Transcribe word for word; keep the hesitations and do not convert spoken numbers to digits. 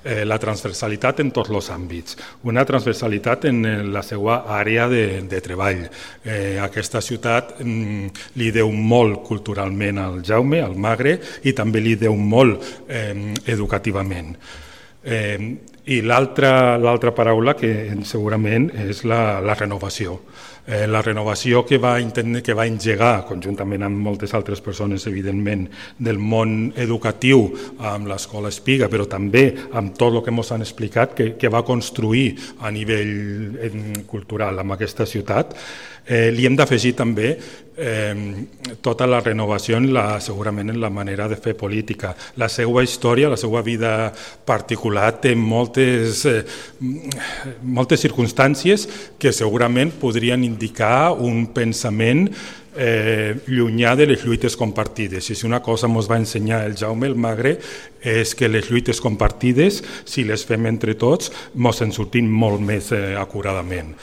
eh, la transversalitat en tots els àmbits, una transversalitat en la seva àrea de, de treball. Eh, aquesta ciutat mm, li deu molt culturalment al Jaume, al Magre, i també li deu molt eh, educativament. Eh, I l'altra l'altra paraula que segurament és la, la renovació. Eh, la renovació que va, entendre, que va engegar, conjuntament amb moltes altres persones, evidentment, del món educatiu, amb l'Escola Espiga, però també amb tot el que ens han explicat, que, que va construir a nivell eh, cultural amb aquesta ciutat, eh, li hem d'afegir també eh, tota la renovació en la, segurament en la manera de fer política. La seva història, la seva vida particular té moltes, eh, moltes circumstàncies que segurament podrien indicar un pensament eh, llunyà de les lluites compartides. I si una cosa ens va ensenyar el Jaume el Magre és que les lluites compartides, si les fem entre tots, ens en sortim molt més eh, acuradament.